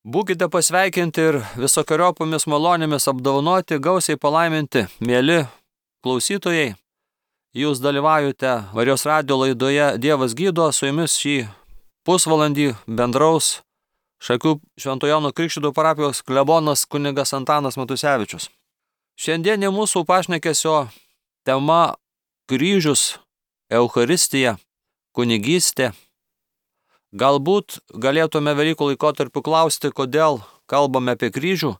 Būkite pasveikinti ir visokiojopomis malonėmis apdovanoti, gausiai palaiminti, mieli klausytojai. Jūs dalyvaujate Marijos radijo laidoje Dievas gydo, su jumis šį pusvalandį bendraus Šakių Švento Jono Krikštytojo parapijos klebonas kunigas Antanas Matusevičius. Šiandien mūsų pašnekesio tema kryžius, Eucharistija, kunigystė. Galbūt galėtume Velykų laikotarpiu klausti, kodėl kalbame apie kryžių,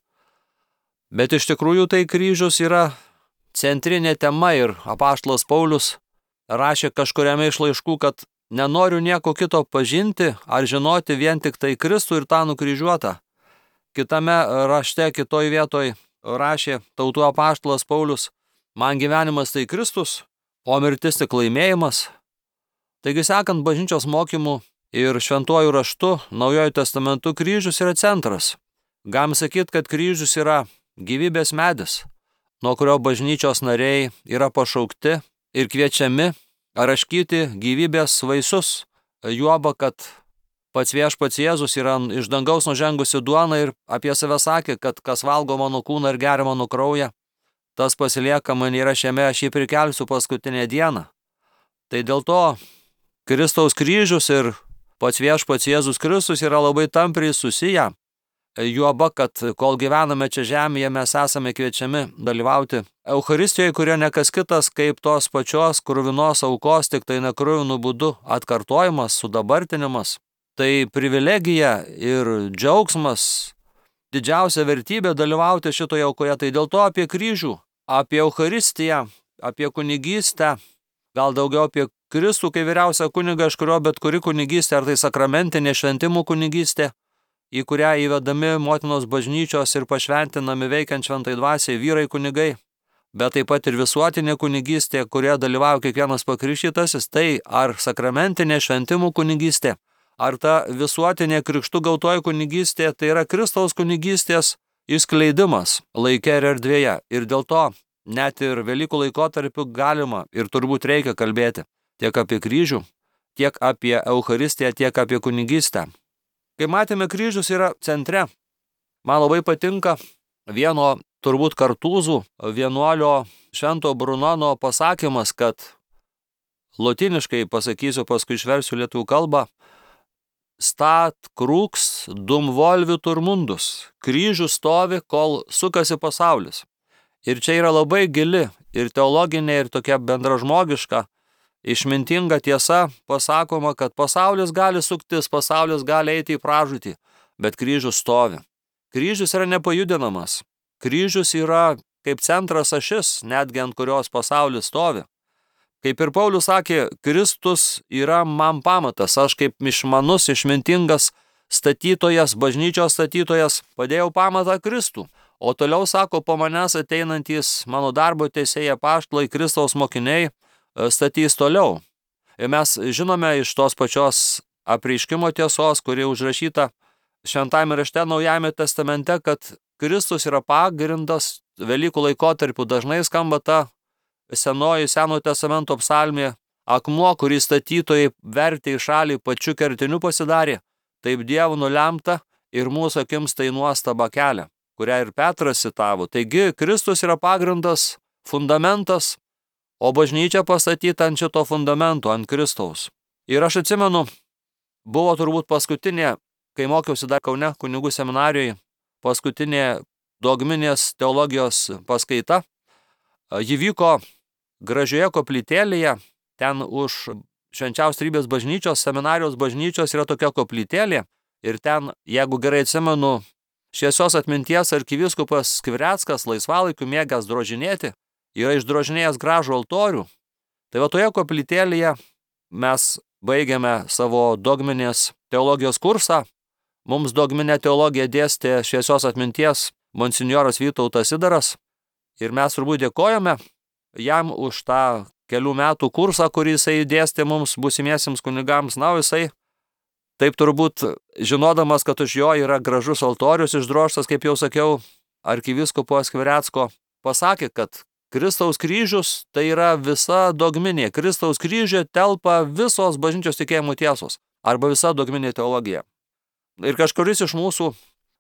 bet iš tikrųjų tai kryžius yra centrinė tema ir apaštalas Paulius rašė kažkuriame iš laiškų, kad nenoriu nieko kito pažinti ar žinoti vien tik tai Kristų ir tą nukryžiuotą. Kitame rašte, kitoj vietoj rašė tautų apaštalas Paulius, man gyvenimas tai Kristus, o mirtis tik laimėjimas. Taigi sekant bažnyčios mokymu ir šventuoju raštu, Naujojo testamentu kryžius yra centras. Galim sakyti, kad kryžius yra gyvybės medis, nuo kurio bažnyčios nariai yra pašaukti ir kviečiami raškyti gyvybės vaisius. Juoba, kad pats viešpats Jėzus yra iš dangaus nužengusi duona ir apie save sakė, kad kas valgo mano kūną ir geria mano kraują, tas pasilieka man yra šiame, aš jį prikelsiu paskutinę dieną. Tai dėl to Kristaus kryžius ir pats viešpats Jėzus Kristus yra labai tampriai susiję. Juoba, kad kol gyvename čia žemėje, mes esame kviečiami dalyvauti Eucharistijoje, kurio nekas kitas kaip tos pačios kruvinos aukos, tik tai nekruvinų būdu atkartojimas, sudabartinimas. Tai privilegija ir džiaugsmas, didžiausia vertybė dalyvauti šitoje aukoje. Tai dėl to apie kryžių, apie Eucharistiją, apie kunigystę, gal daugiau apie Kristų, kai vyriausia kuniga, iš kurio bet kuri kunigystė, ar tai sakramentinė šventimų kunigystė, į kurią įvedami motinos bažnyčios ir pašventinami veikiant šventai dvasiai vyrai kunigai, bet taip pat ir visuotinė kunigystė, kurioje dalyvauja kiekvienas pakrikštytasis, tai ar sakramentinė šventimų kunigystė, ar ta visuotinė krikštų gautoji kunigystė, tai yra Kristaus kunigystės išskleidimas laike ir erdvėje. Ir dėl to net ir Velykų laikotarpiu galima ir turbūt reikia kalbėti tiek apie kryžių, tiek apie Eucharistiją, tiek apie kunigystę. Kai matėme, kryžius yra centre. Man labai patinka vieno turbūt kartūzų vienuolio Švento Brunono pasakymas, kad lotiniškai pasakysiu, paskui išversiu lietuvių kalbą, stat crux dum volvitur mundus. Kryžius stovi, kol sukasi pasaulis. Ir čia yra labai gili ir teologinė, ir tokia bendražmogiška, išmintinga tiesa pasakoma, kad pasaulis gali suktis, pasaulis gali eiti į pražūtį, bet kryžius stovi. Kryžius yra nepajudinamas. Kryžius yra kaip centras ašis, netgi ant kurios pasaulis stovi. Kaip ir Paulius sakė, Kristus yra man pamatas, aš kaip išmanus, išmintingas statytojas, bažnyčios statytojas, padėjau pamatą Kristų. O toliau sako, po manęs ateinantys mano darbo teisėjai apaštalai, Kristaus mokiniai, statys toliau. Ir mes žinome iš tos pačios apreiškimo tiesos, kuri užrašyta Šventajame rašte Naujajame testamente, kad Kristus yra pagrindas. Velykų laikotarpiu dažnai skamba ta Senojo testamento psalmė, akmuo, kurį statytojai vertė į šalį pačiu kertiniu pasidarė, taip Dievo nulemta ir mūsų akims tai nuostaba kelia, kurią ir Petras citavo. Taigi Kristus yra pagrindas, fundamentas, o bažnyčia pastatyta ant šito fundamento, ant Kristaus. Ir aš atsimenu, buvo turbūt paskutinė, kai mokiausi dar Kaune kunigų seminarijoje, paskutinė dogminės teologijos paskaita. Ji vyko gražioje koplytėlėje, ten už Švenčiausios Trejybės bažnyčios, seminarijos bažnyčios yra tokia koplytėlė. Ir ten, jeigu gerai atsimenu, šviesios atminties arkivyskupas Skvireckas, laisvalaikiu mėgęs drožinėti, yra išdrožinėjęs gražų altorių. Tai va toje koplytėlėje mes baigėme savo dogminės teologijos kursą. Mums dogminę teologiją dėstė šviesios atminties monsinjoras Vytautas Sidaras. Ir mes turbūt dėkojame jam už tą kelių metų kursą, kurį jisai dėstė mums būsimiesiems kunigams. Na, jisai taip turbūt žinodamas, kad už jo yra gražus altorius išdrožtas, kaip jau sakiau, arkivyskupo Skvirecko, pasakė, kad Kristaus kryžius tai yra visa dogminė. Kristaus kryžiuje telpa visos bažnyčios tikėjimų tiesos arba visa dogminė teologija. Ir kažkuris iš mūsų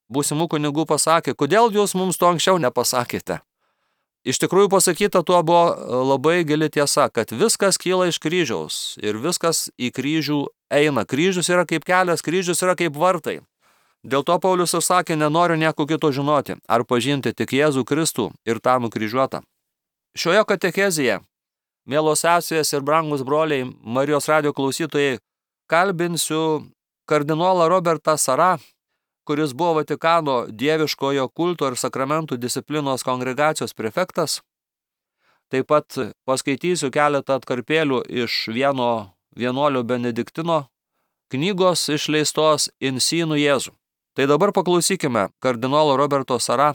būsimų kunigų pasakė, kodėl jūs mums to anksčiau nepasakėte? Iš tikrųjų pasakyta tuo buvo labai gili tiesa, kad viskas kyla iš kryžiaus ir viskas į kryžių eina. Kryžius yra kaip kelias, kryžius yra kaip vartai. Dėl to Paulius ir sakė, nenoriu nieko kito žinoti, ar pažinti tik Jėzų Kristų ir tą nukryžiuotą. Šioje katechezėje, mielos sesės ir brangus broliai, Marijos radijo klausytojai, kalbinsiu kardinolą Robertą Sarą, kuris buvo Vatikano dieviškojo kulto ir sakramentų disciplinos kongregacijos prefektas. Taip pat paskaitysiu keletą atkarpėlių iš vieno vienuolio Benediktino knygos išleistos Insinų Jėzų. Tai dabar paklausykime kardinolo Roberto Sarą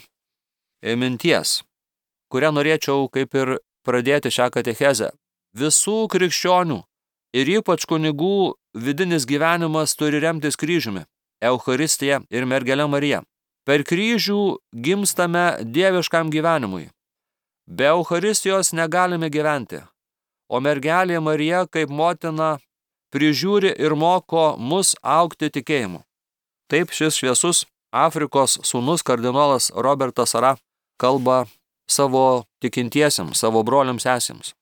minties, kurią norėčiau kaip ir pradėti šią katechezę. Visų krikščionių ir ypač kunigų vidinis gyvenimas turi remtis kryžiumi, Eucharistija ir mergele Marija. Per kryžių gimstame dieviškam gyvenimui. Be Eucharistijos negalime gyventi, o mergelė Marija kaip motina prižiūri ir moko mus augti tikėjimu. Taip šis šviesus Afrikos sūnus kardinolas Robertas Sara kalba savo tikintiesiems, savo broliams sesėms.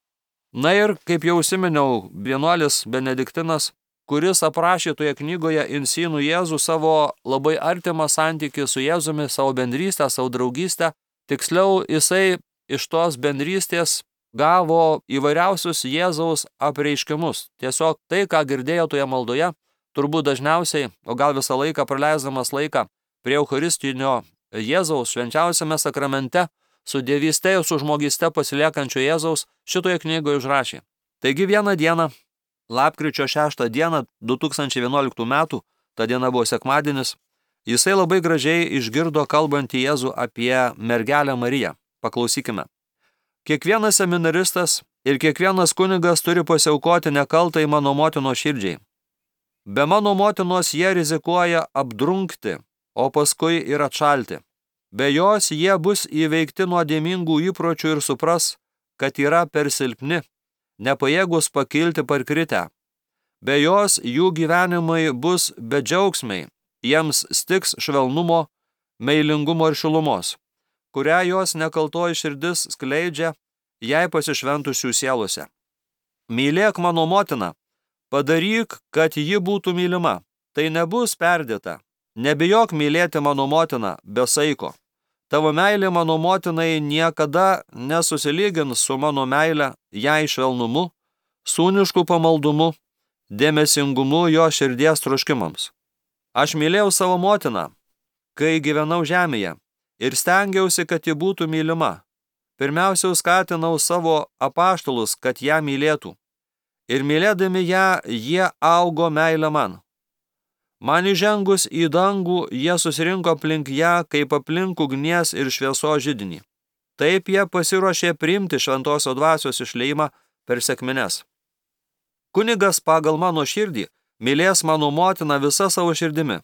Na ir, kaip jau užsiminiau, vienuolis Benediktinas, kuris aprašė toje knygoje Insinų Jėzų savo labai artimą santykį su Jėzumi, savo bendrystę, savo draugystę. Tiksliau, jisai iš tos bendrystės gavo įvairiausius Jėzaus apreiškimus. Tiesiog tai, ką girdėjo toje maldoje, turbūt dažniausiai, o gal visą laiką praleisdamas laiką prie Eucharistinio Jėzaus švenčiausiame sakramente, su dievyste ir su žmogyste pasiliekančio Jėzaus, šitoje knygoje užrašė. Taigi vieną dieną, lapkričio 6 dieną 2011 metų, ta diena buvo sekmadienis, jisai labai gražiai išgirdo kalbantį Jėzų apie mergelę Mariją. Paklausykime. Kiekvienas seminaristas ir kiekvienas kunigas turi pasiaukoti nekaltai mano motinos širdžiai. Be mano motinos jie rizikuoja apdrunkti, o paskui ir atšalti. Be jos jie bus įveikti nuodėmingų įpročių ir supras, kad yra per silpni, nepajėgus pakilti parkritę. Be jos jų gyvenimai bus bedžiaugsmiai, jiems stiks švelnumo, meilingumo ir šilumos, kurią jos nekaltoji širdis skleidžia jai pasišventusių sielose. Mylėk mano motiną, padaryk, kad ji būtų mylima, tai nebus perdėta. Nebijok mylėti mano motiną be saiko. Tavo meilė mano motinai niekada nesusilygins su mano meile jai švelnumu, sūnišku pamaldumu, dėmesingumu jo širdies troškimams. Aš mylėjau savo motiną, kai gyvenau žemėje, ir stengiausi, kad ji būtų mylima. Pirmiausia, skatinau savo apaštalus, kad ją mylėtų. Ir mylėdami ją, jie augo meilę man. Man įžengus į dangų, jie susirinko aplink ją, kaip aplink ugnies ir šviesos židinį. Taip jie pasiruošė priimti šventosios dvasios išleimą per sekmines. Kunigas pagal mano širdį mylės mano motiną visa savo širdimi.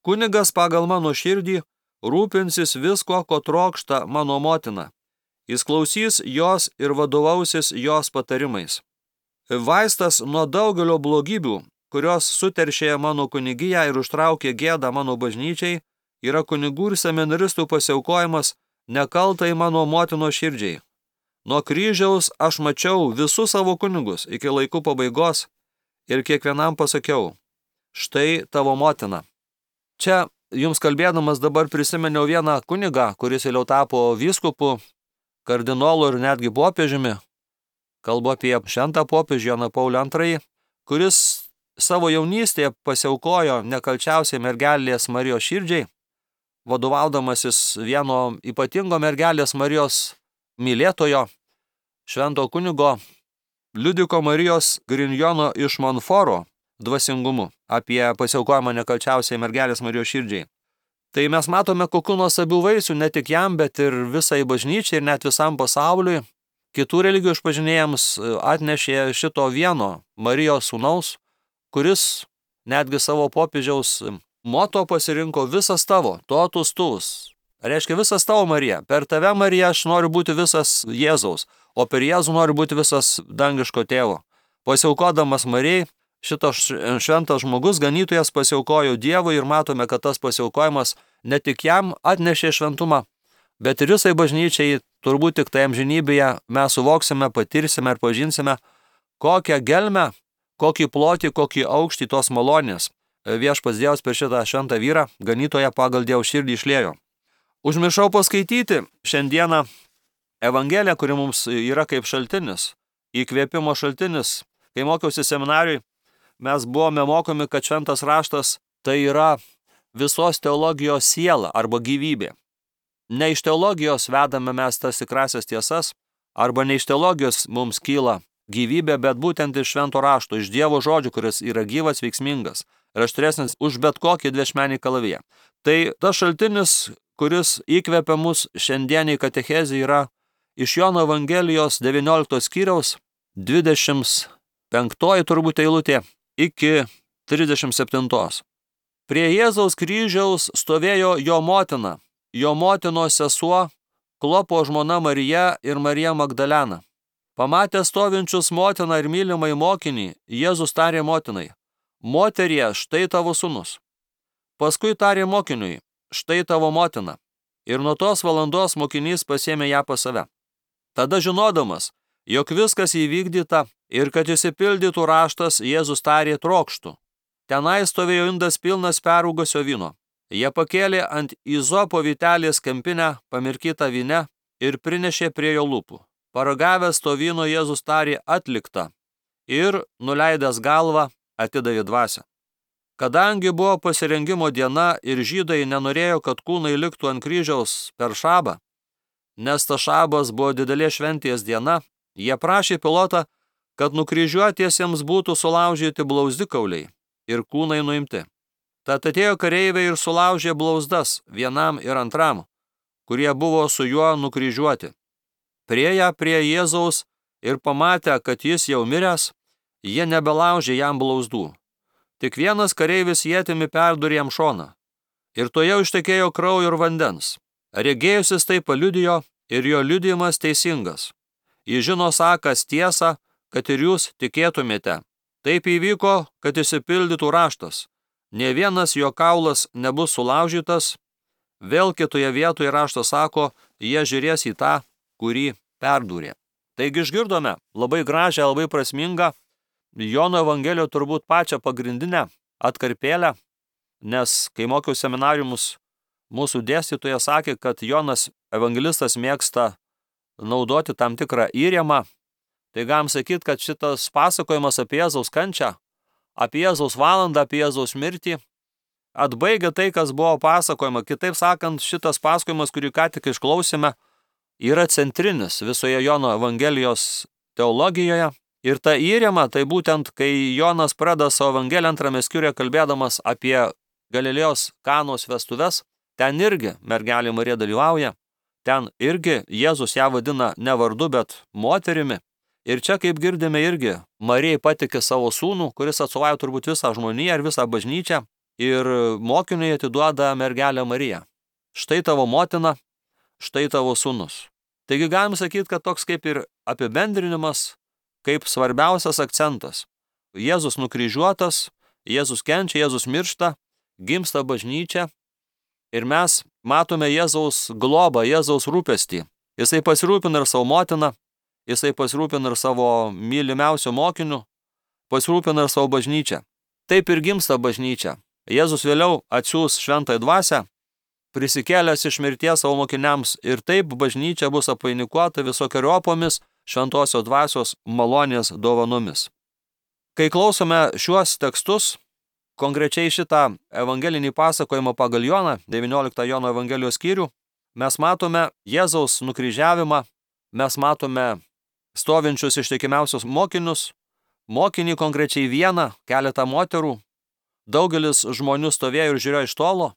Kunigas pagal mano širdį rūpinsis visko, ko trokšta mano motina. Jis klausys jos ir vadovausis jos patarimais. Vaistas nuo daugelio blogybių, kurios suteršė mano kunigiją ir užtraukė gėdą mano bažnyčiai, yra kunigų ir seminaristų pasiaukojimas nekaltai mano motinos širdžiai. Nuo kryžiaus aš mačiau visus savo kunigus iki laikų pabaigos ir kiekvienam pasakiau, štai tavo motina. Čia jums kalbėdamas dabar prisiminiau vieną kunigą, kuris vėliau tapo vyskupu, kardinolu ir netgi popiežiumi. Kalbu apie šventą popiežių Joną Paulių II, kuris savo jaunystėje pasiaukojo nekalčiausiai mergelės Marijos širdžiai, vadovaudamasis vieno ypatingo mergelės Marijos mylėtojo, švento kunigo Liudviko Marijos Grignono iš Monforo dvasingumu apie pasiaukojimą nekalčiausiai mergelės Marijos širdžiai. Tai mes matome, kokių nuostabių vaisių ne tik jam, bet ir visai bažnyčiai ir net visam pasauliui. Kitų religijų išpažinėjams atnešė šito vieno Marijos sūnaus, kuris netgi savo popiežiaus moto pasirinko visas tavo, totus tuvus. Reiškia visas tavo Marija. Per tave, Marija, aš noriu būti visas Jėzaus, o per Jėzų noriu būti visas dangiško tėvo. Pasiaukodamas Marijai, šitas šventas žmogus, ganytojas pasiaukojo Dievui ir matome, kad tas pasiaukojimas ne tik jam atnešė šventumą, bet ir visai bažnyčiai turbūt tik tai amžinybėje mes suvoksime, patirsime ir pažinsime, kokią gelmę, kokį plotį, kokį aukštį tos malonės viešpats Dievas per šitą šventą vyrą, ganytoją pagal Dievo širdį išliejo. Užmiršau paskaityti šiandieną Evangeliją, kuri mums yra kaip šaltinis, įkvėpimo šaltinis. Kai mokiausi seminarijui, mes buvome mokomi, kad šventas raštas tai yra visos teologijos siela arba gyvybė. Ne iš teologijos vedame mes tas tikrasias tiesas, arba ne iš teologijos mums kyla gyvybė, bet būtent iš švento rašto, iš Dievo žodžių, kuris yra gyvas, veiksmingas ir aštresnis už bet kokį dviašmenį kalaviją. Tai tas šaltinis, kuris įkvepia mus šiandieniai katechezei, yra iš Jono Evangelijos 19 skyriaus 25 turbūt eilutė iki 37. Prie Jėzaus kryžiaus stovėjo jo motina, jo motinos sesuo, Klopo žmona Marija ir Marija Magdalena. Pamatę stovinčius motiną ir mylimai mokinį, Jėzus tarė motinai: Moterie, štai tavo sūnus. Paskui tarė mokiniui: Štai tavo motina. Ir nuo tos valandos mokinys pasiėmė ją pas save. Tada žinodamas, jog viskas įvykdyta ir kad išsipildytų raštas, Jėzus tarė: Trokštu. Tenai stovėjo indas pilnas perrūgusio vyno. Jie pakėlė ant izopo vytelės kempinę pamirkytą vyne ir prinešė prie jo lūpų. Paragavęs to vyno, Jėzus tarė: Atlikta. Ir, nuleidęs galvą, atidavė dvasią. Kadangi buvo pasirengimo diena ir žydai nenorėjo, kad kūnai liktų ant kryžiaus per šabą, nes ta šabas buvo didelė šventės diena, jie prašė Pilotą, kad nukryžiuotiesiems būtų sulaužyti blauzdikauliai ir kūnai nuimti. Tad atėjo kareiviai ir sulaužė blauzdas vienam ir antram, kurie buvo su juo nukryžiuoti. Priėję prie Jėzaus ir pamatę, kad jis jau miręs, jie nebelaužė jam blauzdų. Tik vienas kareivis ietimi perdūrė jam šoną. Ir tuojau ištekėjo kraujo ir vandens. Regėjusis tai paliudijo ir jo liudijimas teisingas. Jis žino sakąs tiesą, kad ir jūs tikėtumėte. Taip įvyko, kad išsipildytų raštas. Nė vienas jo kaulas nebus sulaužytas. Vėl kitoje vietoje raštas sako, jie žiūrės į tą, kurį perdūrė. Taigi išgirdome labai gražią, labai prasmingą Jono Evangelijoje turbūt pačią pagrindinę atkarpėlę, nes kai mokiau seminariumus, mūsų dėstytoja sakė, kad Jonas evangelistas mėgsta naudoti tam tikrą įrėmą. Tai galim sakyti, kad šitas pasakojimas apie Jėzaus kančią, apie Jėzaus valandą, apie Jėzaus mirtį atbaigia tai, kas buvo pasakojama. Kitaip sakant, šitas pasakojimas, kurį ką tik išklausėme, yra centrinis visoje Jono Evangelijos teologijoje. Ir ta įrėma, tai būtent, kai Jonas pradeda savo Evangeliją 2 skyriuje kalbėdamas apie Galilėjos Kanos vestuves, ten irgi mergelė Marija dalyvauja, ten irgi Jėzus ją vadina ne vardu, bet moterimi. Ir čia, kaip girdime, irgi Marijai patikė savo sūnų, kuris atstovauja turbūt visą žmoniją ir visą bažnyčią, ir mokiniui atiduoda mergelę Mariją. Štai tavo motina, štai tavo sūnus. Taigi galim sakyti, kad toks kaip ir apibendrinimas, kaip svarbiausias akcentas. Jėzus nukryžiuotas, Jėzus kenčia, Jėzus miršta, gimsta bažnyčia ir mes matome Jėzaus globą, Jėzaus rūpestį. Jisai pasirūpina ir savo motiną, jisai pasirūpina ir savo mylimiausių mokinių, pasirūpina ir savo bažnyčią. Taip ir gimsta bažnyčia. Jėzus vėliau atsiųs šventąją dvasią, prisikėlęs iš mirties savo mokiniams, ir taip bažnyčia bus apvainikuota visokiojopomis šventosios dvasios malonės dovanomis. Kai klausome šiuos tekstus, konkrečiai šitą evangelinį pasakojimą pagal Joną, 19 Jono Evangelijos skyrių, mes matome Jėzaus nukryžiavimą, mes matome stovinčius ištikimiausius mokinius, mokinį konkrečiai vieną, keletą moterų, daugelis žmonių stovėjo ir žiūrėjo iš tolo,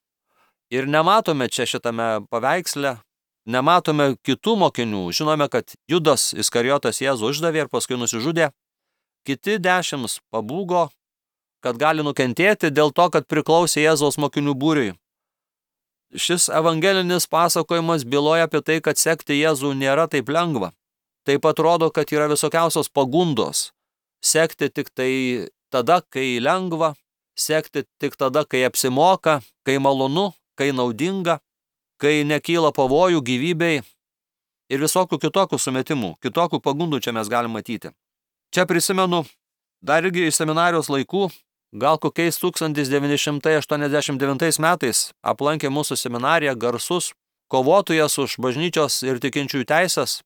ir nematome čia šitame paveiksle, nematome kitų mokinių. Žinome, kad Judas Iskarijotas Jėzų išdavė ir paskui nusižudė. Kiti 10 pabūgo, kad gali nukentėti dėl to, kad priklausė Jėzaus mokinių būriui. Šis evangelinis pasakojimas byloja apie tai, kad sekti Jėzų nėra taip lengva. Taip pat rodo, kad yra visokiausios pagundos. Sekti tik tai tada, kai lengva, sekti tik tada, kai apsimoka, kai malonu, kai naudinga, kai nekyla pavojų gyvybei ir visokių kitokių sumetimų, kitokių pagundų čia mes galime matyti. Čia prisimenu dar irgi iš seminarijos laikų, gal kokiais 1989 metais aplankė mūsų seminariją garsus kovotojas už bažnyčios ir tikinčiųjų teisės,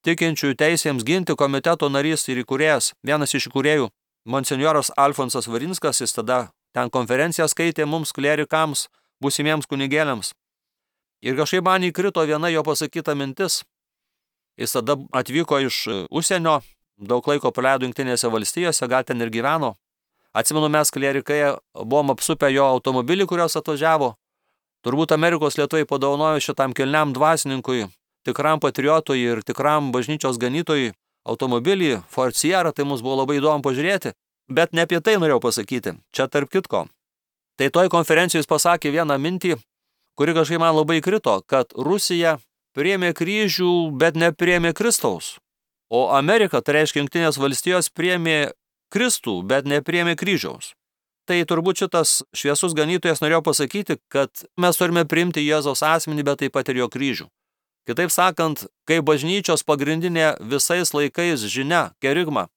tikinčiųjų teisėms ginti komiteto narys ir įkūrėjas, vienas iš įkūrėjų, monsinjoras Alfonsas Varinskas, jis tada ten konferenciją skaitė mums klerikams, būsimiems kunigėliams. Ir kažkaip man įkrito viena jo pasakyta mintis. Jis tada atvyko iš užsienio, daug laiko praleido Jungtinėse valstijose, gal ten ir gyveno. Atsimenu, mes klerikai buvom apsupę jo automobilį, kurios atvažiavo. Turbūt Amerikos lietuviai padovanojo šitam kilniam dvasininkui, tikram patriotui ir tikram bažnyčios ganytojui automobilį Ford Sierra, tai mums buvo labai įdomu pažiūrėti. Bet ne apie tai norėjau pasakyti, čia tarp kitko. Tai toj konferencijoje jis pasakė vieną mintį, kuri kažkaip man labai krito, kad Rusija priėmė kryžių, bet nepriėmė Kristaus. O Amerika, tai reiškia Jungtinės valstijos, priėmė Kristų, bet nepriėmė kryžiaus. Tai turbūt šitas šviesus ganytojas norėjo pasakyti, kad mes turime priimti Jėzaus asmenį, bet taip pat ir jo kryžių. Kitaip sakant, kai bažnyčios pagrindinė visais laikais žinia, kerigma,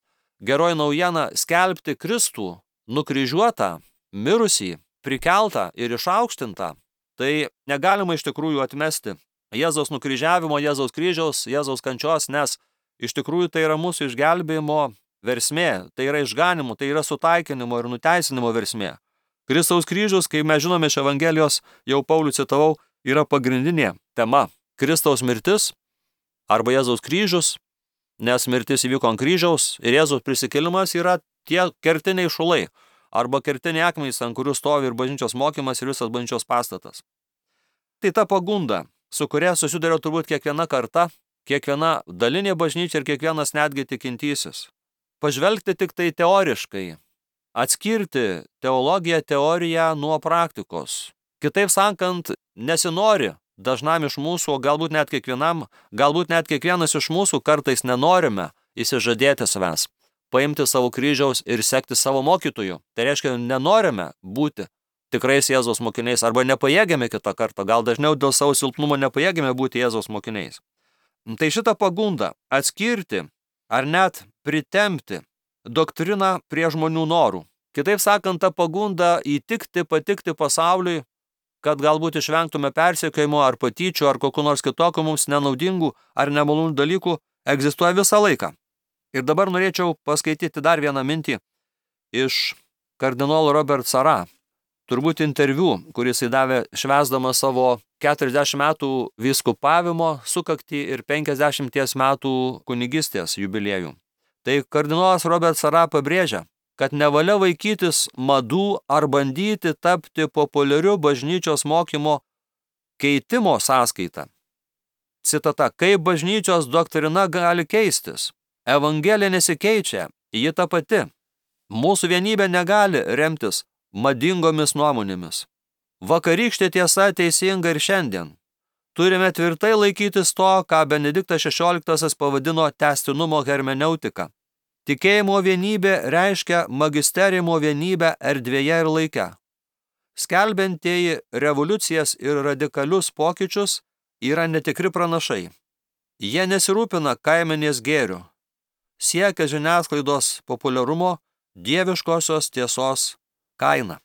geroji naujiena skelbti Kristų, nukryžiuotą, mirusį, prikeltą ir išaukštintą, tai negalima iš tikrųjų atmesti Jėzaus nukryžiavimo, Jėzaus kryžiaus, Jėzaus kančios, nes iš tikrųjų tai yra mūsų išgelbėjimo versmė, tai yra išganimo, tai yra sutaikinimo ir nuteisinimo versmė. Kristaus kryžius, kaip mes žinome iš Evangelijos, jau Paulių citavau, yra pagrindinė tema. Kristaus mirtis arba Jėzaus kryžius, nes mirtis įvyko ant kryžiaus ir Jėzaus prisikėlimas yra tie kertiniai šulai arba kertiniai akmenys, ant kurių stovi ir bažnyčios mokymas ir visas bažnyčios pastatas. Tai ta pagunda, su kuria susiduria turbūt kiekviena karta, kiekviena dalinė bažnyčia ir kiekvienas netgi tikintysis. Pažvelgti tik tai teoriškai, atskirti teologiją, teoriją nuo praktikos. Kitaip sakant, nesinori dažnam iš mūsų, o galbūt net kiekvienam, galbūt net kiekvienas iš mūsų kartais nenorime įsižadėti savęs, paimti savo kryžiaus ir sekti savo mokytojų. Tai reiškia, nenorime būti tikrais Jėzaus mokiniais arba nepajėgiame kitą kartą, gal dažniau dėl savo silpnumo nepajėgiame būti Jėzaus mokiniais. Tai šitą pagundą atskirti ar net pritempti doktriną prie žmonių norų. Kitaip sakant, ta pagunda įtikti, patikti pasauliui, kad galbūt išvengtume persekiojimo ar patyčių ar kokių nors kitokių mums nenaudingų ar nemalonių dalykų, egzistuoja visą laiką. Ir dabar norėčiau paskaityti dar vieną mintį iš kardinolo Robert Sarah. Turbūt interviu, kuris įdavė švęsdamas savo 40 metų vyskupavimo sukaktį ir 50 metų kunigystės jubiliejų. Tai kardinolas Robert Sarah pabrėžia, kad nevalia vaikytis madų ar bandyti tapti populiariu bažnyčios mokymo keitimo sąskaita. Citata, kaip bažnyčios doktrina gali keistis? Evangelija nesikeičia, ji ta pati. Mūsų vienybė negali remtis madingomis nuomonėmis. Vakarykštė tiesa teisinga ir šiandien. Turime tvirtai laikytis to, ką Benediktas XVI pavadino tęstinumo hermeneutika. Tikėjimo vienybė reiškia magisteriumo vienybę erdvėje ir laike. Skelbiantieji revoliucijas ir radikalius pokyčius yra netikri pranašai. Jie nesirūpina kaimenės gėriu. Siekia žiniasklaidos populiarumo dieviškosios tiesos kaina.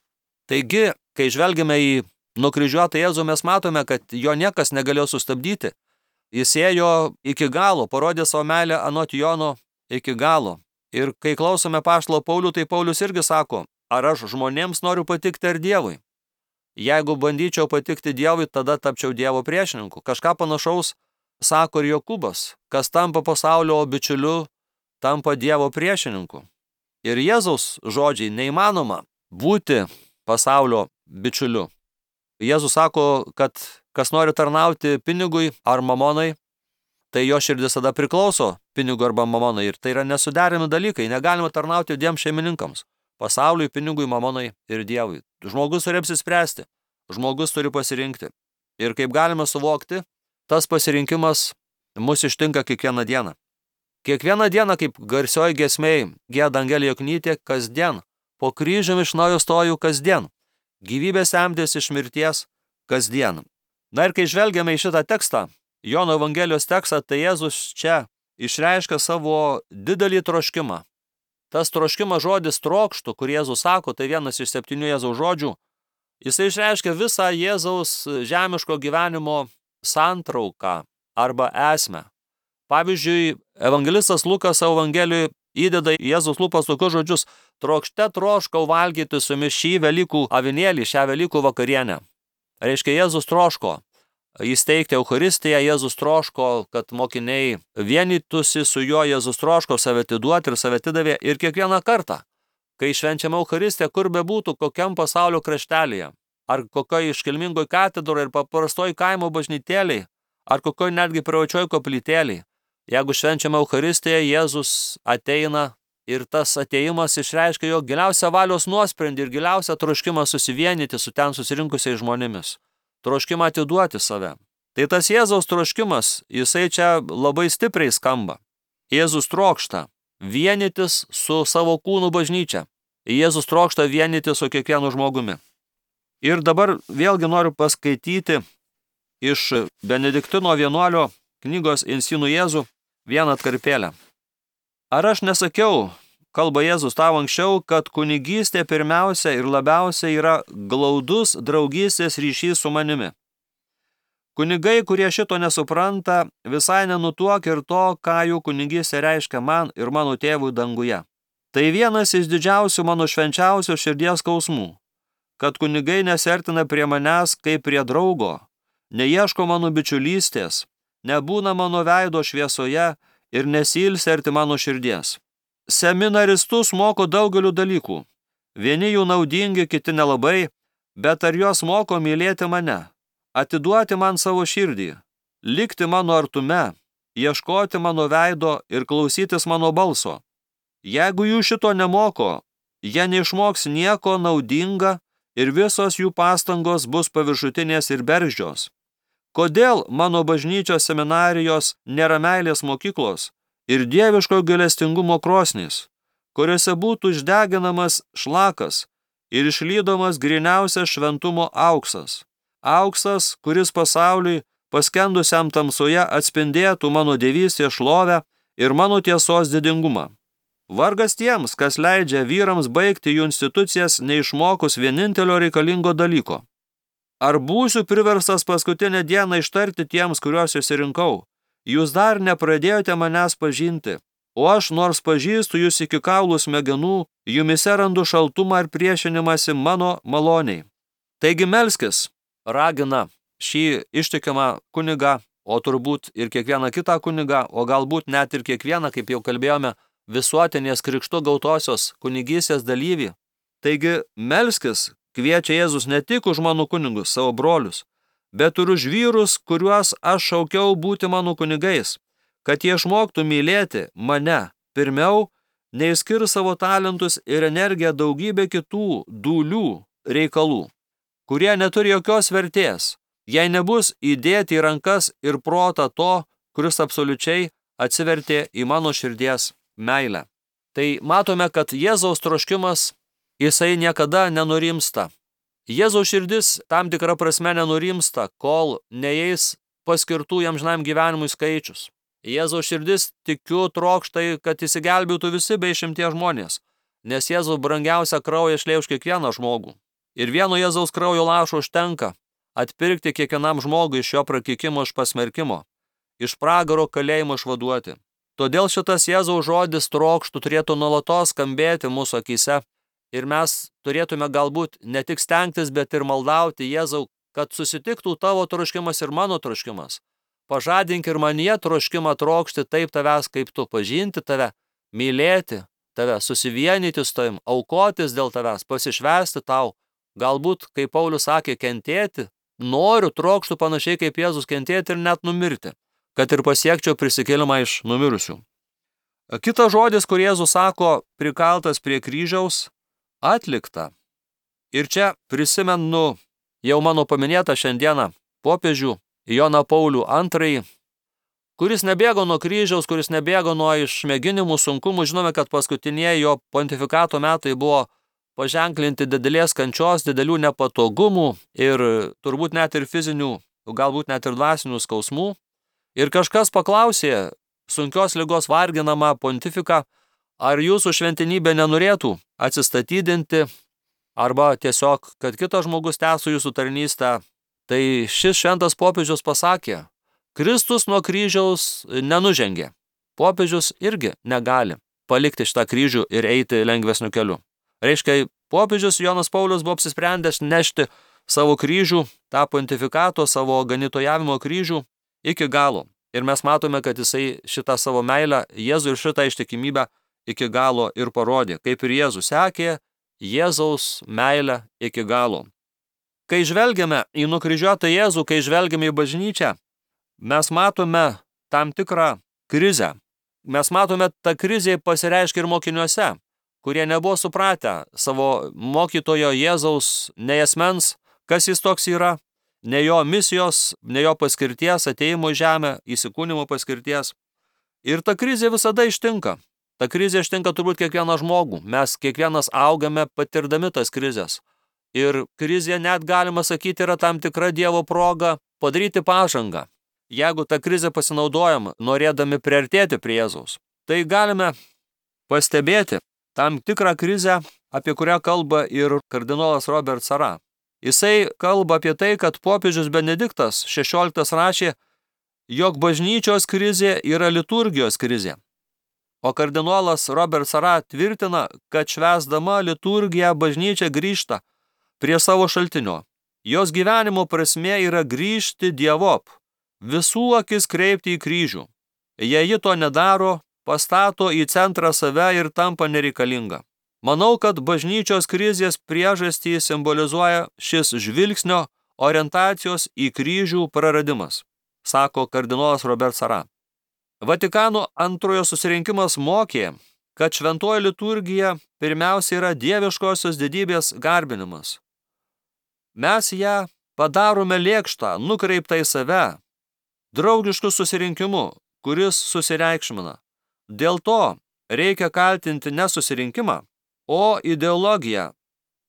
Taigi, kai žvelgiame į nukryžiuotą Jėzų, mes matome, kad jo niekas negalėjo sustabdyti. Jis ėjo iki galo, parodė savo meilę anot Jono iki galo. Ir kai klausome apaštalo Paulių, tai Paulius irgi sako, ar aš žmonėms noriu patikti ar Dievui? Jeigu bandyčiau patikti Dievui, tada tapčiau Dievo priešininku. Kažką panašaus sako ir Jokūbas, kas tampa pasaulio bičiuliu, tampa Dievo priešininku. Ir Jėzaus žodžiai neįmanoma būti pasaulio bičiuliu. Jėzus sako, kad kas nori tarnauti pinigui ar mamonai, tai jo širdis tada priklauso pinigui arba mamonai. Ir tai yra nesuderinami dalykai. Negalima tarnauti dviem šeimininkams. Pasauliui, pinigui, mamonai ir Dievui. Žmogus turi apsispręsti. Žmogus turi pasirinkti. Ir kaip galime suvokti, tas pasirinkimas mus ištinka kiekvieną dieną. Kiekvieną dieną, kaip garsioji giesmėj gieda Angelė Joknytė, kasdien. Po kryžiumi iš naujo stoju kasdien. Gyvybė semtis iš mirties, kasdien. Na ir kai žvelgiame į šitą tekstą, Jono Evangelijos tekstą, tai Jėzus čia išreiškia savo didelį troškimą. Tas troškimas žodis trokštų, kur Jėzus sako, tai vienas iš 7 Jėzaus žodžių, jisai išreiškia visą Jėzaus žemiško gyvenimo santrauką arba esmę. Pavyzdžiui, evangelistas Lukas savo Evangelijoje įdeda į Jėzaus lūpas tokius žodžius: trokšte troškau valgyti su jumis šį Velykų avinėlį, šią Velykų vakarienę. Reiškia, Jėzus troško įsteigti Eucharistiją, Jėzus troško, kad mokiniai vienytųsi su juo, Jėzus troško save atiduoti ir save atidavė. Ir kiekvieną kartą, kai švenčiame Eucharistiją, kur bebūtų, kokiam pasaulio kraštelyje, ar kokioj iškilmingoj katedroje ir paprastoj kaimo bažnytėlėj, ar kokioj netgi privačioj koplytėlėj, jeigu švenčiame Eucharistiją, Jėzus ateina ir tas ateimas išreiškia jo giliausią valios nuosprendį ir giliausią troškimą susivienyti su ten susirinkusiais žmonėmis. Troškimą atiduoti save. Tai tas Jėzaus troškimas, jisai čia labai stipriai skamba. Jėzus trokšta vienytis su savo kūnų bažnyčia. Jėzus trokšta vienyti su kiekvienu žmogumi. Ir dabar vėlgi noriu paskaityti iš Benediktino vienuolio knygos Insinų Jėzų vieną atkarpėlę. Ar aš nesakiau, kalba Jėzus tau anksčiau, kad kunigystė pirmiausia ir labiausia yra glaudus draugystės ryšys su manimi. Kunigai, kurie šito nesupranta, visai nenutuok ir to, ką jų kunigystė reiškia man ir mano tėvui danguje. Tai vienas iš didžiausių mano švenčiausių širdies skausmų, kad kunigai nesertina prie manęs kaip prie draugo, neieško mano bičiulystės, nebūna mano veido šviesoje ir nesilsi arti mano širdies. Seminaristus moko daugeliu dalykų. Vieni jų naudingi, kiti nelabai, bet ar juos moko mylėti mane, atiduoti man savo širdį, likti mano artume, ieškoti mano veido ir klausytis mano balso. Jeigu jų šito nemoko, jie neišmoks nieko naudinga ir visos jų pastangos bus paviršutinės ir bergždžios. Kodėl mano bažnyčios seminarijos nėra meilės mokyklos ir dieviško gailestingumo krosnys, kuriuose būtų išdeginamas šlakas ir išlydomas gryniausias šventumo auksas. Auksas, kuris pasauliui paskendusiam tamsoje atspindėtų mano dievystės šlovę ir mano tiesos didingumą. Vargas tiems, kas leidžia vyrams baigti jų institucijas neišmokus vienintelio reikalingo dalyko. Ar būsiu priverstas paskutinę dieną ištarti tiems, kuriuos išsirinkau: jūs dar nepradėjote manęs pažinti, o aš nors pažįstu jūs iki kaulų smegenų, jumise randu šaltumą ir priešinimąsi mano maloniai. Taigi melskis, ragina šį ištikimą kunigą, o turbūt ir kiekvieną kitą kunigą, o galbūt net ir kiekvieną, kaip jau kalbėjome, visuotinės krikštu gautosios kunigystės dalyvį. Taigi melskis, kviečia Jėzus, ne tik už mano kunigus, savo brolius, bet ir už vyrus, kuriuos aš šaukiau būti mano kunigais, kad jie išmoktų mylėti mane pirmiau, nei skirs savo talentus ir energiją daugybė kitų dūlių reikalų, kurie neturi jokios vertės, jei nebus įdėti į rankas ir protą to, kuris absoliučiai atsivertė į mano širdies meilę. Tai matome, kad Jėzaus troškimas, jisai niekada nenurimsta. Jėzaus širdis tam tikrą prasme nenurimsta, kol neeis paskirtų jam amžinam gyvenimui skaičius. Jėzaus širdis, tikiu, trokšta, kad išsigelbėtų visi be išimties žmonės, nes Jėzaus brangiausia kraują šlėjo už kiekvieną žmogų. Ir vieno Jėzaus kraujo lašo užtenka atpirkti kiekvienam žmogui iš jo prakeikimo, iš pasmerkimo, iš pragaro kalėjimo išvaduoti. Todėl šitas Jėzaus žodis trokštų turėtų nuolatos skambėti mūsų akyse ir mes turėtume galbūt ne tik stengtis, bet ir maldauti Jėzau, kad susitiktų tavo troškimas ir mano troškimas. Pažadink ir manyje troškimą trokšti taip tavęs, kaip tu, pažinti tave, mylėti tave, susivienyti su tavim, aukotis dėl tavęs, pasišvęsti tau. Galbūt, kaip Paulius sakė, kentėti, noriu, trokštų panašiai kaip Jėzus kentėti ir net numirti, kad ir pasiekčiau prisikėlimą iš numirusių. Kitas žodis, kur Jėzus sako, prikaltas prie kryžiaus, atlikta. Ir čia prisimenu jau mano paminėtą šiandieną popiežių Joną Paulių II, kuris nebėgo nuo kryžiaus, kuris nebėgo nuo išmėginimų, sunkumų. Žinome, kad paskutinieji jo pontifikato metai buvo paženklinti didelės kančios, didelių nepatogumų ir turbūt net ir fizinių, galbūt net ir dvasinių skausmų. Ir kažkas paklausė sunkios ligos varginamą pontifiką, ar jūsų šventenybė nenorėtų atsistatydinti, arba tiesiog, kad kitas žmogus tęstų jūsų tarnystę. Tai šis šventas popiežius pasakė, Kristus nuo kryžiaus nenužengė. Popiežius irgi negali palikti šitą kryžių ir eiti lengvesniu keliu. Reiškia, popiežius Jonas Paulius buvo apsisprendęs nešti savo kryžių, tą pontifikato, savo ganytojavimo kryžių iki galo. Ir mes matome, kad jisai šitą savo meilę Jėzui ir šitą ištikimybę iki galo ir parodė, kaip ir Jėzus sekė Jėzaus meilę iki galo. Kai žvelgiame į nukryžiuotą Jėzų, kai žvelgiame į bažnyčią, mes matome tam tikrą krizę. Mes matome, ta krizė pasireiškia ir mokiniuose, kurie nebuvo supratę savo mokytojo Jėzaus nei asmens, kas jis toks yra, ne jo misijos, ne jo paskirties, atėjimo į žemę, įsikūnimo paskirties. Ir ta krizė visada ištinka. Ta krizė ištinka turbūt kiekvieną žmogų. Mes kiekvienas augame patirdami tas krizės. Ir krizė, net galima sakyti, yra tam tikra Dievo proga padaryti pažangą. Jeigu tą krizę pasinaudojam, norėdami priartėti prie Jėzaus, tai galime pastebėti tam tikrą krizę, apie kurią kalba ir kardinolas Robert Sarah. Jisai kalba apie tai, kad popiežius Benediktas XVI rašė, jog bažnyčios krizė yra liturgijos krizė. O kardinolas Robert Sarah tvirtina, kad švęsdama liturgiją bažnyčia grįžta prie savo šaltinio. Jos gyvenimo prasmė yra grįžti dievop, visų akis kreipti į kryžių. Jei ji to nedaro, pastato į centrą save ir tampa nereikalinga. Manau, kad bažnyčios krizės priežastį simbolizuoja šis žvilgsnio orientacijos į kryžių praradimas, sako kardinolas Robert Sarah. Vatikano antrojo susirinkimas mokė, kad šventoji liturgija pirmiausia yra dieviškosios didybės garbinimas. Mes ją padarome lėkštą, nukreiptą į save, draugišku susirinkimu, kuris susireikšmina. Dėl to reikia kaltinti ne susirinkimą, o ideologiją,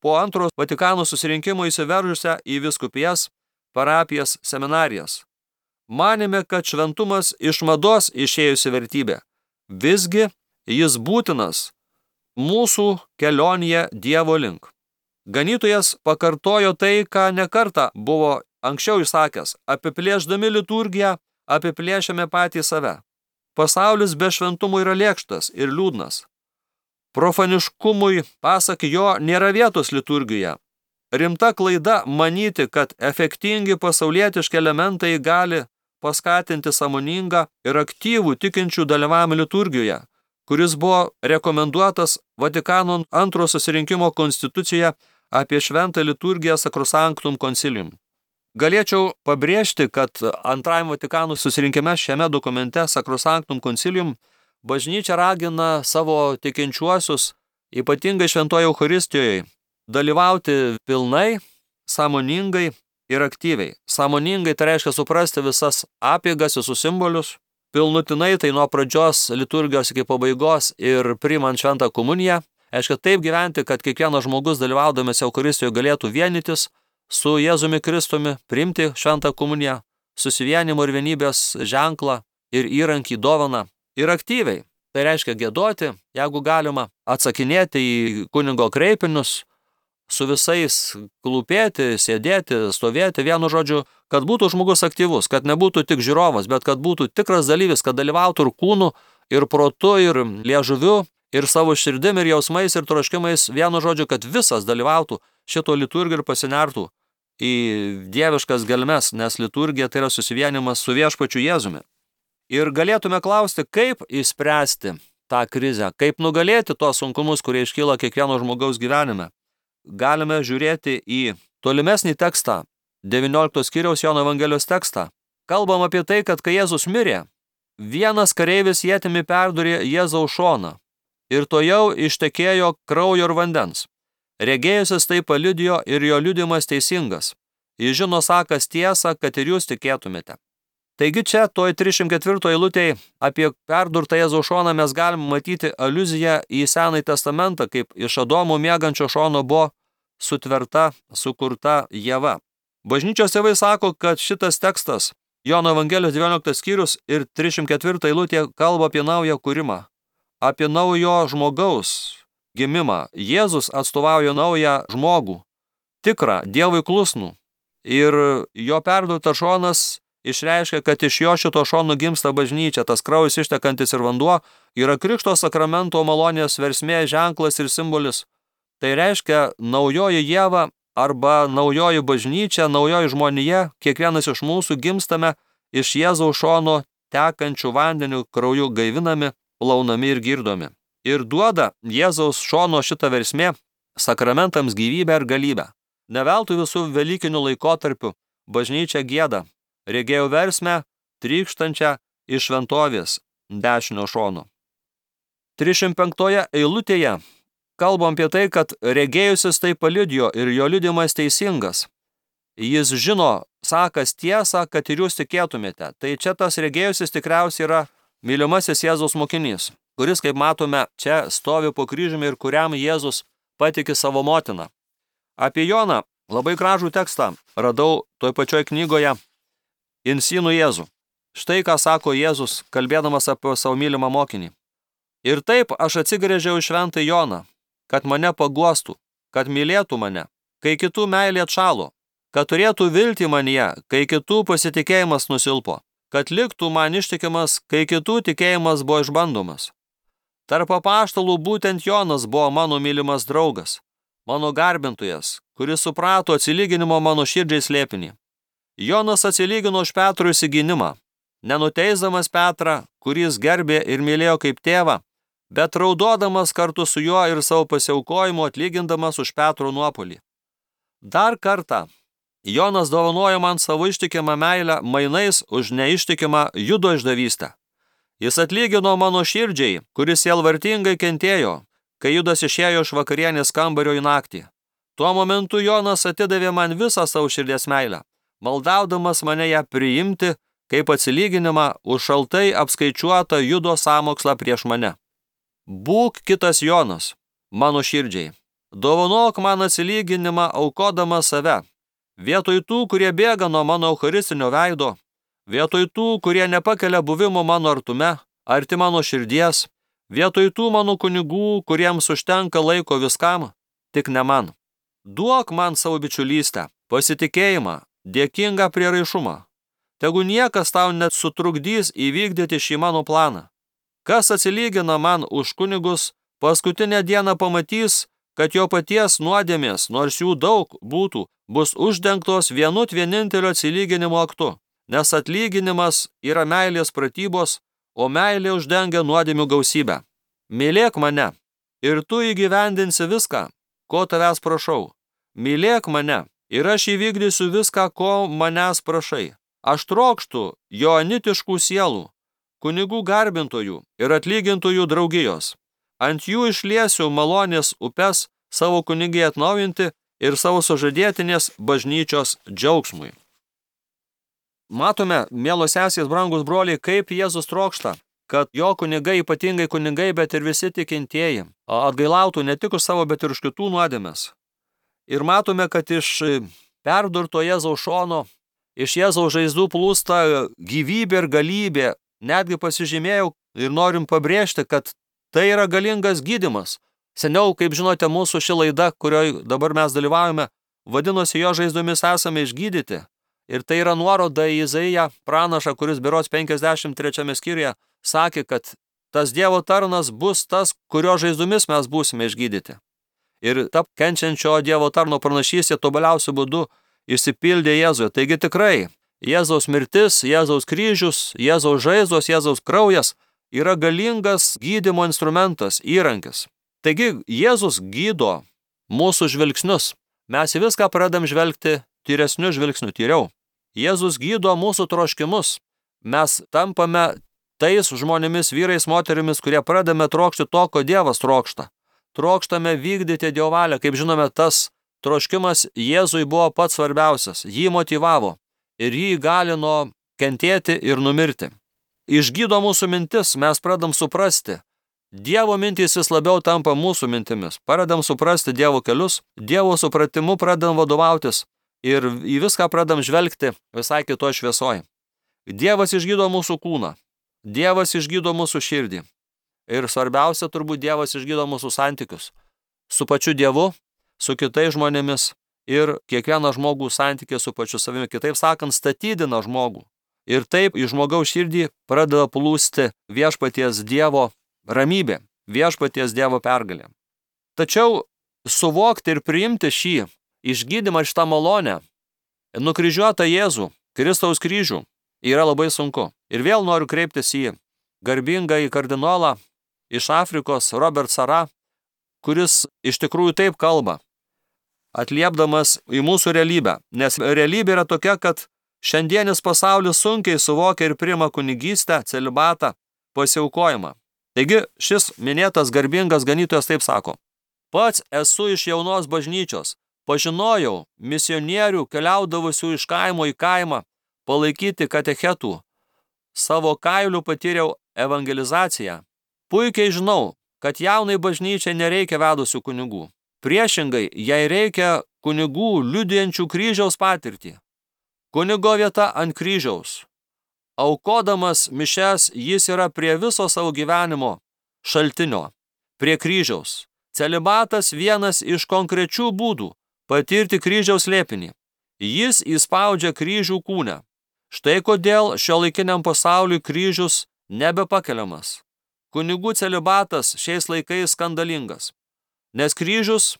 po antro Vatikano susirinkimo įsiveržusią į vyskupijas, parapijas, seminarijas. Manėme, kad šventumas iš mados išėjusi vertybė. Visgi jis būtinas mūsų kelionėje Dievo link. Ganytojas pakartojo tai, ką nekartą buvo anksčiau išsakęs. Apiplėšdami liturgiją, apiplėšiame patį save. Pasaulis be šventumo yra lėkštas ir liūdnas. Profaniškumui, pasak jo, nėra vietos liturgijoje. Rimta klaida manyti, kad efektingi pasaulietiški elementai gali paskatinti sąmoningą ir aktyvų tikinčių dalyvavimą liturgijoje, kuris buvo rekomenduotas Vatikano antro susirinkimo konstitucijoje apie šventą liturgiją Sacrosanctum Concilium. Galėčiau pabrėžti, kad antrajam Vatikano susirinkime šiame dokumente Sacrosanctum Concilium bažnyčia ragina savo tikinčiuosius, ypatingai šventoje Eucharistijoje, dalyvauti pilnai, sąmoningai ir aktyviai. Sąmoningai tai reiškia suprasti visas apeigas, visus simbolius, pilnutinai tai nuo pradžios liturgijos iki pabaigos ir priimant šventą komuniją. Reiškia taip gyventi, kad kiekvienas žmogus dalyvaudamas Eucharistijoje galėtų vienytis su Jėzumi Kristumi, priimti šventą komuniją, susivienimo ir vienybės ženklą ir įrankį dovaną. Ir aktyviai, tai reiškia giedoti, jeigu galima, atsakinėti į kunigo kreipinius, su visais klūpėti, sėdėti, stovėti, vienu žodžiu, kad būtų žmogus aktyvus, kad nebūtų tik žiūrovas, bet kad būtų tikras dalyvis, kad dalyvautų ir kūnu, ir protu, ir liežuviu, ir savo širdim, ir jausmais, ir troškimais, vienu žodžiu, kad visas dalyvautų šito liturgiją ir pasinertų į dieviškas gelmes, nes liturgija tai yra susivienimas su viešpačiu Jėzumi. Ir galėtume klausti, kaip išspręsti tą krizę, kaip nugalėti tos sunkumus, kurie iškyla kiekvieno žmogaus gyvenime. Galime žiūrėti į tolimesnį tekstą, 19 skyriaus Jono Evangelijos tekstą. Kalbam apie tai, kad kai Jėzus mirė, vienas kareivis ietimi perdūrė Jėzaus šoną ir tojau ištekėjo kraujo ir vandens. Regėjusis tai paliudijo ir jo liudijimas teisingas. Jis žino sakas tiesą, kad ir jūs tikėtumėte. Taigi čia toj 304 eilutėje apie perdurtą Jėzaus šoną mes galim matyti aliuziją į Senąjį testamentą, kaip iš Adomo miegančio šono buvo sutverta, sukurta Ieva. Bažnyčios tėvai sako, kad šitas tekstas, Jono Evangelijos 19 skyrius ir 304 eilutė kalba apie naują kūrimą, apie naujo žmogaus gimimą. Jėzus atstovauja naują žmogų, tikrą, Dievui klusnų. Ir jo perdurtas šonas išreiškia, kad iš jo šito šono gimsta bažnyčia, tas kraujas ištekantis ir vanduo yra Krikšto sakramento malonės versmė, ženklas ir simbolis. Tai reiškia naujoji Ieva arba naujoji bažnyčia, naujoji žmonija, kiekvienas iš mūsų gimstame iš Jėzaus šono tekančių vandeniu krauju gaivinami, plaunami ir girdomi. Ir duoda Jėzaus šono šitą versmė sakramentams gyvybę ir galybę. Neveltui visų velykinių laikotarpių bažnyčia gieda, regėjau versmę trykštančią iš šventovės dešinio šono. 305 eilutėje kalbam apie tai, kad regėjusis tai paliudijo ir jo liudijimas teisingas. Jis žino, sakas tiesą, kad ir jūs tikėtumėte. Tai čia tas regėjusis tikriausiai yra mylimasis Jėzaus mokinys, kuris, kaip matome, čia stovi po kryžiumi ir kuriam Jėzus patiki savo motiną. Apie Joną labai gražų tekstą radau toj pačioj knygoje Insynų Jėzų. Štai ką sako Jėzus, kalbėdamas apie savo mylimą mokinį. Ir taip aš atsigręžiau į šventą Joną, kad mane paguostų, kad mylėtų mane, kai kitų meilė atšalo, kad turėtų viltį manyje, kai kitų pasitikėjimas nusilpo, kad liktų man ištikimas, kai kitų tikėjimas buvo išbandomas. Tarp apaštalų būtent Jonas buvo mano mylimas draugas, mano garbintojas, kuris suprato atsilyginimo mano širdžiai slėpinį. Jonas atsilygino už Petro įsigynimą, nenuteisdamas Petrą, kuris gerbė ir mylėjo kaip tėvą, bet raudodamas kartu su juo ir savo pasiaukojimu atlygindamas už Petro nuopolį. Dar kartą Jonas dovanojo man savo ištikimą meilę mainais už neištikimą Judo išdavystę. Jis atlygino mano širdžiai, kuris sielvartingai kentėjo, kai Judas išėjo iš vakarienės kambario į naktį. Tuo momentu Jonas atidavė man visą savo širdies meilę, maldaudamas mane ją priimti kaip atsilyginimą už šaltai apskaičiuotą Judo sąmokslą prieš mane. Būk kitas Jonas, mano širdžiai. Dovanok man atsilyginimą aukodamas save. Vietoj tų, kurie bėga nuo mano eucharistinio veido, vietoj tų, kurie nepakelia buvimo mano artume, arti mano širdies, vietoj tų mano kunigų, kuriems užtenka laiko viskam, tik ne man. Duok man savo bičiulystę, pasitikėjimą, dėkingą prieraišumą. Tegu niekas tau net sutrukdys įvykdyti šį mano planą. Kas atsilygina man už kunigus, paskutinę dieną pamatys, kad jo paties nuodėmės, nors jų daug būtų, bus uždengtos vienintelio atsilyginimo aktu, nes atlyginimas yra meilės pratybos, o meilė uždengia nuodėmių gausybę. Mylėk mane, ir tu įgyvendinsi viską, ko tavęs prašau. Mylėk mane, ir aš įvykdysiu viską, ko manęs prašai. Aš trokštu joanitiškų sielų, kunigų garbintojų ir atlygintojų draugijos. Ant jų išliesiu malonės upes savo kunigiai atnaujinti ir savo sužadėtinės bažnyčios džiaugsmui. Matome, mielos sesės, brangus broliai, kaip Jėzus trokšta, kad jo kunigai, ypatingai kunigai, bet ir visi tikintieji, atgailautų ne tik už savo, bet ir už kitų nuodėmes. Ir matome, kad iš perdurto Jėzaus šono, iš Jėzaus žaizdų plūsta gyvybė ir galybė. Netgi pasižymėjau ir norim pabrėžti, kad tai yra galingas gydymas. Seniau, kaip žinote, mūsų ši laida, kurioje dabar mes dalyvaujame, vadinosi jo žaizdomis esame išgydyti. Ir tai yra nuoroda į Izaiją pranašą, kuris berods 53 skyriuje sakė, kad tas Dievo tarnas bus tas, kurio žaizdomis mes būsime išgydyti. Ir ta kenčiančio Dievo tarno pranašystė tobuliausiu būdu išsipildė Jėzuje. Taigi tikrai, Jėzaus mirtis, Jėzaus kryžius, Jėzaus žaizdos, Jėzaus kraujas yra galingas gydymo instrumentas, įrankis. Taigi Jėzus gydo mūsų žvilgsnius. Mes į viską pradedam žvelgti tyresniu žvilgsniu, tyriau. Jėzus gydo mūsų troškimus. Mes tampame tais žmonėmis, vyrais, moterimis, kurie pradame trokšti to, ko Dievas trokšta. Trokštame vykdyti Dievo valią. Kaip žinome, tas troškimas Jėzui buvo pats svarbiausias. Jį motyvavo ir jį įgalino kentėti ir numirti. Išgydo mūsų mintis, mes pradam suprasti. Dievo mintys vis labiau tampa mūsų mintimis. Pradam suprasti Dievo kelius, Dievo supratimu pradam vadovautis ir į viską pradam žvelgti visai kitoj šviesoj. Dievas išgydo mūsų kūną, Dievas išgydo mūsų širdį. Ir svarbiausia, turbūt Dievas išgydo mūsų santykius su pačiu Dievu, su kitais žmonėmis ir kiekvieną žmogų santykį su pačiu savimi. Kitaip sakant, statydina žmogų. Ir taip į žmogaus širdį pradeda plūsti viešpaties Dievo ramybė, viešpaties Dievo pergalė. Tačiau suvokti ir priimti šį išgydymą, šitą malonę, nukryžiuotą Jėzų, Kristaus kryžių, yra labai sunku. Ir vėl noriu kreiptis į garbingąjį kardinolą iš Afrikos, Robert Sarah, kuris iš tikrųjų taip kalba, atliepdamas į mūsų realybę. Nes realybė yra tokia, kad šiandienis pasaulis sunkiai suvokia ir priima kunigystę, celibatą, pasiaukojimą. Taigi šis minėtas garbingas ganytojas taip sako: pats esu iš jaunos bažnyčios, pažinojau misionierių keliaudavusių iš kaimo į kaimą palaikyti katechetų, savo kailiu patyriau evangelizaciją. Puikiai žinau, kad jaunai bažnyčiai nereikia vedusių kunigų. Priešingai, jai reikia kunigų liudijančių kryžiaus patirtį. Kunigo vieta ant kryžiaus. Aukodamas mišes jis yra prie viso savo gyvenimo šaltinio, prie kryžiaus. Celibatas vienas iš konkrečių būdų patirti kryžiaus slėpinį. Jis įspaudžia kryžių kūne. Štai kodėl šiuolaikiniam pasauliui kryžius nebepakeliamas. Kunigų celibatas šiais laikais skandalingas. Nes kryžius,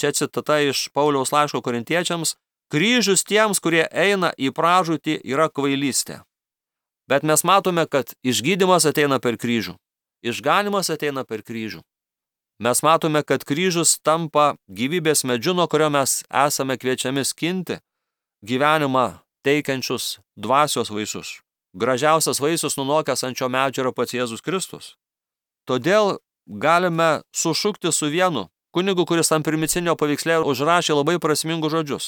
čia citata iš Pauliaus laiško korintiečiams, kryžius tiems, kurie eina į pražūtį, yra kvailystė. Bet mes matome, kad išgydymas ateina per kryžių. Išganymas ateina per kryžių. Mes matome, kad kryžius tampa gyvybės medžiu, nuo kurio mes esame kviečiami skinti gyvenimą teikiančius dvasios vaisius. Gražiausias vaisius nunokęs ant šio medžio yra pats Jėzus Kristus. Todėl galime sušukti su vienu kunigu, kuris ant primicinio paveiksle užrašė labai prasmingus žodžius.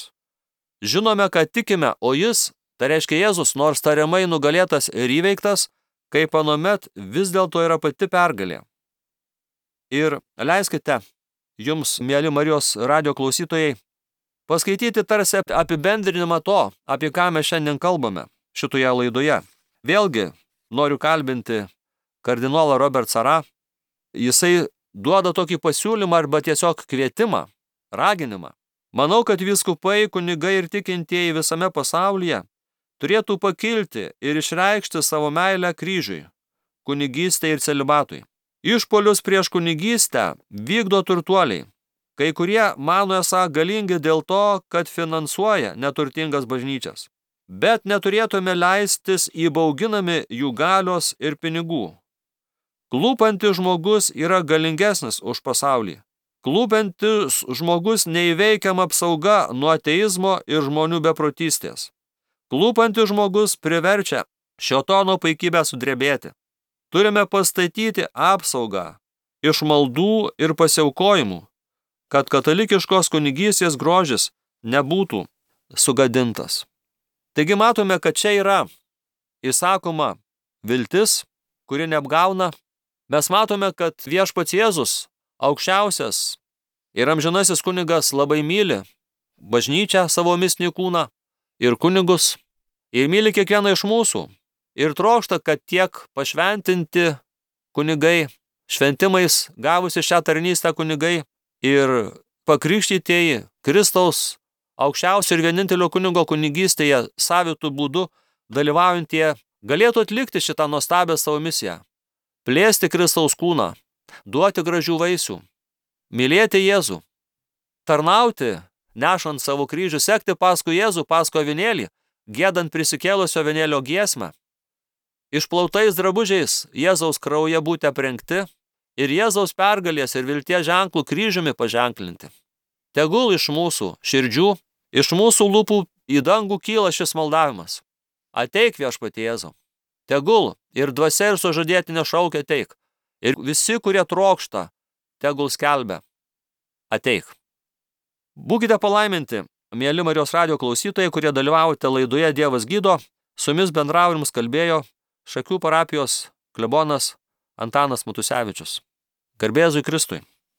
Žinome, kad tikime, o jis, tai reiškia Jėzus, nors tariamai nugalėtas ir įveiktas, kaip anuomet vis dėlto yra pati pergalė. Ir leiskite jums, mieli Marijos radijo klausytojai, paskaityti tarsi apibendrinimą to, apie ką mes šiandien kalbame šitoje laidoje. Vėlgi noriu kalbinti kardinolą Robert Sarah. Jisai duoda tokį pasiūlymą arba tiesiog kvietimą, raginimą. Manau, kad vyskupai, kunigai ir tikintieji visame pasaulyje turėtų pakilti ir išreikšti savo meilę kryžiui, kunigystei ir celibatui. Išpolius prieš kunigystę vykdo turtuoliai. Kai kurie mano esą galingi dėl to, kad finansuoja neturtingas bažnyčias. Bet neturėtume leistis įbauginami jų galios ir pinigų. Klūpantis žmogus yra galingesnis už pasaulį. Klūpantis žmogus neįveikiama apsauga nuo ateizmo ir žmonių beprotystės. Klūpantis žmogus priverčia šėtono paikybę sudrebėti. Turime pastatyti apsaugą iš maldų ir pasiaukojimų, kad katalikiškos kunigystės grožis nebūtų sugadintas. Taigi matome, kad čia yra įsakoma viltis, kuri neapgauna. Mes matome, kad viešpats Jėzus, aukščiausias ir amžinasis kunigas, labai myli bažnyčią, savo mistinį kūną ir kunigus, ir myli kiekvieną iš mūsų, ir trokšta, kad tiek pašventinti kunigai, šventimais gavusi šią tarnystę kunigai ir pakrikštytieji Kristaus aukščiausio ir vienintelio kunigo kunigystėje savitų būdų dalyvaujantieji galėtų atlikti šitą nuostabią savo misiją. Plėsti Kristaus kūną, duoti gražių vaisių, mylėti Jėzų, tarnauti, nešant savo kryžių, sekti paskui Jėzų, paskui avinėlį, giedant prisikėlusio avinėlio giesmę, išplautais drabužiais Jėzaus krauje būti aprengti ir Jėzaus pergalės ir vilties ženklų kryžiumi paženklinti. Tegul iš mūsų širdžių, iš mūsų lūpų į dangų kyla šis maldavimas. Ateik, viešpatie Jėzau. Tegul ir dvasia ir sužadėtinė šaukia ateik. Ir visi, kurie trokšta, tegul skelbia ateik. Būkite palaiminti, mieli Marijos radijo klausytojai, kurie dalyvaujate laidoje Dievas gydo. Su jumis bendravo ir jums kalbėjo Šakių parapijos klebonas Antanas Matusevičius. Garbė Jėzui Kristui.